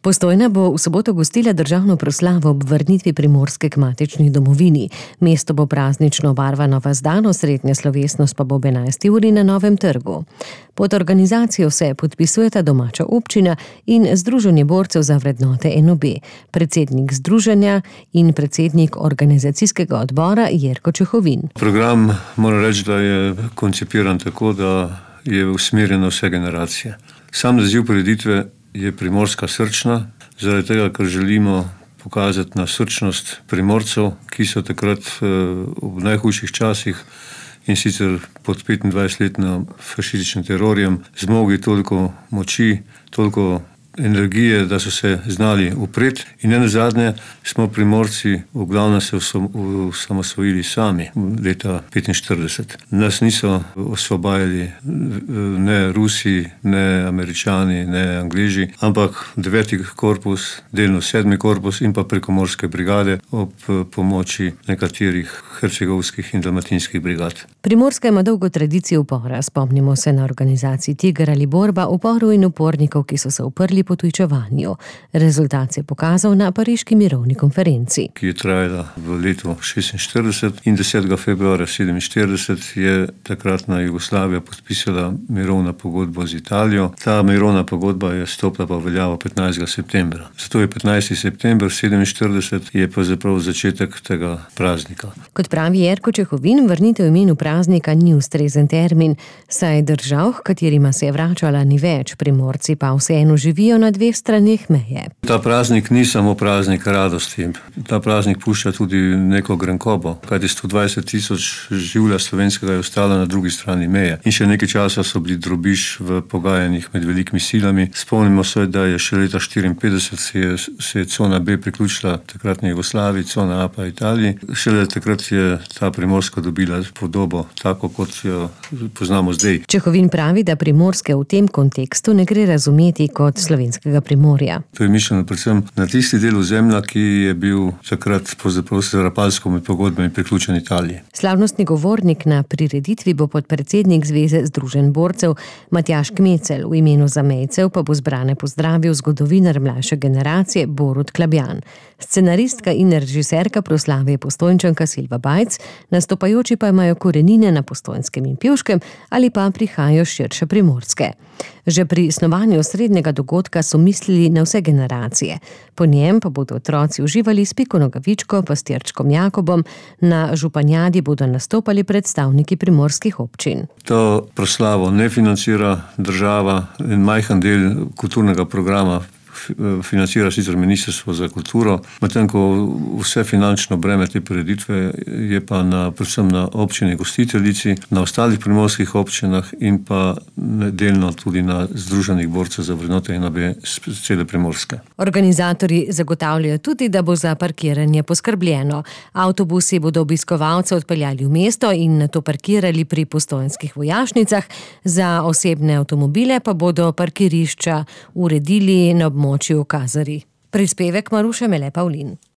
Postojna bo v soboto gostila državno proslavo ob vrnitvi Primorske k matični domovini. Mesto bo praznično obarvano vas dan, osrednja slovesnost pa bo ob 11. uri na Novem trgu. Pod organizacijo se podpisujeta domača občina in Združenje borcev za vrednote NOB, predsednik združenja in predsednik organizacijskega odbora Jerko Čehovin. Program moram reči, da je koncipiran tako, da je usmerjen na vse generacije. Sam naziv prireditve je Primorska srčna, zaradi tega, ker želimo pokazati na srčnost Primorcev, ki so takrat v najhujših časih in sicer pod 25-letnim fašističnim terorjem zmogli toliko moči, toliko energije, da so se znali upreti. In nenazadnje smo Primorci v glavnem se osamosvojili sami leta 1945. Nas niso osvobajali ne Rusi, ne Američani, ne Angleži, ampak 9. korpus, delno 7. korpus in pa prekomorske brigade ob pomoči nekaterih hercegovskih in dalmatinskih brigad. Primorska ima dolgo tradicijo upora. Spomnimo se na organizaciji Tiger ali Borba, uporov in upornikov, ki so se uprli potujčevanju. Rezultat se je pokazal na pariški mirovni konferenci, ki je trajala v letu 1946 in 10. februarja 1947 je takratna Jugoslavija podpisala mirovno pogodbo z Italijo. Ta mirovna pogodba je stopila pa v veljavo 15. septembra. Zato je 15. september 1947 je pa zapravo začetek tega praznika. Kot pravi Jerko Čehovin, vrnitev imenu praznika ni ustrezen termin, saj držav, h katerima se je vračala, ni več, Primorci pa vseeno živijo na dveh straneh meje. Ta praznik ni samo praznik radosti. Ta praznik pušča tudi neko grenkobo, kajti 120.000 življa slovenskega je ostalo na drugi strani meje. In še nekaj časa so bili drobiž v pogajanjih med velikimi silami. Spomnimo se, da je še leta 1954 se je cona B priključila takratni Jugoslaviji, cona A pa Italiji. Šele takrat je ta Primorska dobila podobo tako, kot jo poznamo zdaj. Čehovin pravi, da Primorske v tem kontekstu ne gre razumeti kot slovenskega Primorja. To je mišljeno predvsem na tisti del ozemlja, ki je bil takrat s Rapalsko med pogodbami priključen Italiji. Slavnostni govornik na prireditvi bo podpredsednik Zveze združenj borcev Matjaž Kmecel, v imenu zamejcev pa bo zbrane pozdravil zgodovinar mlajše generacije Borut Klabjan. Scenaristka in režiserka proslave je Postojnčanka Silva Bajc, nastopajoči pa imajo korenine na Postojnskem in Pivškem ali pa prihajajo širše Primorske. Že pri snovanju osrednjega dogodka so mislili na vse generacije. Po njem pa bodo otroci uživali s Piko Nogavičko, pastirčkom Jakobom, na županjadi bodo nastopali predstavniki primorskih občin. To proslavo ne financira država, en majhen del kulturnega programa financira sicer Ministrstvo za kulturo, medtem ko vse finančno breme te prireditve je pa predvsem na občini gostiteljici, na ostalih primorskih občinah in pa delno tudi na Združenih borcev za vrednote NOB cele Primorske. Organizatorji zagotavljajo tudi, da bo za parkiranje poskrbljeno. Avtobusi bodo obiskovalce odpeljali v mesto in nato parkirali pri postojnskih vojašnicah, za osebne avtomobile pa bodo parkirišča uredili na območju Kazari. Prispevek Maruše Mele Pavlin.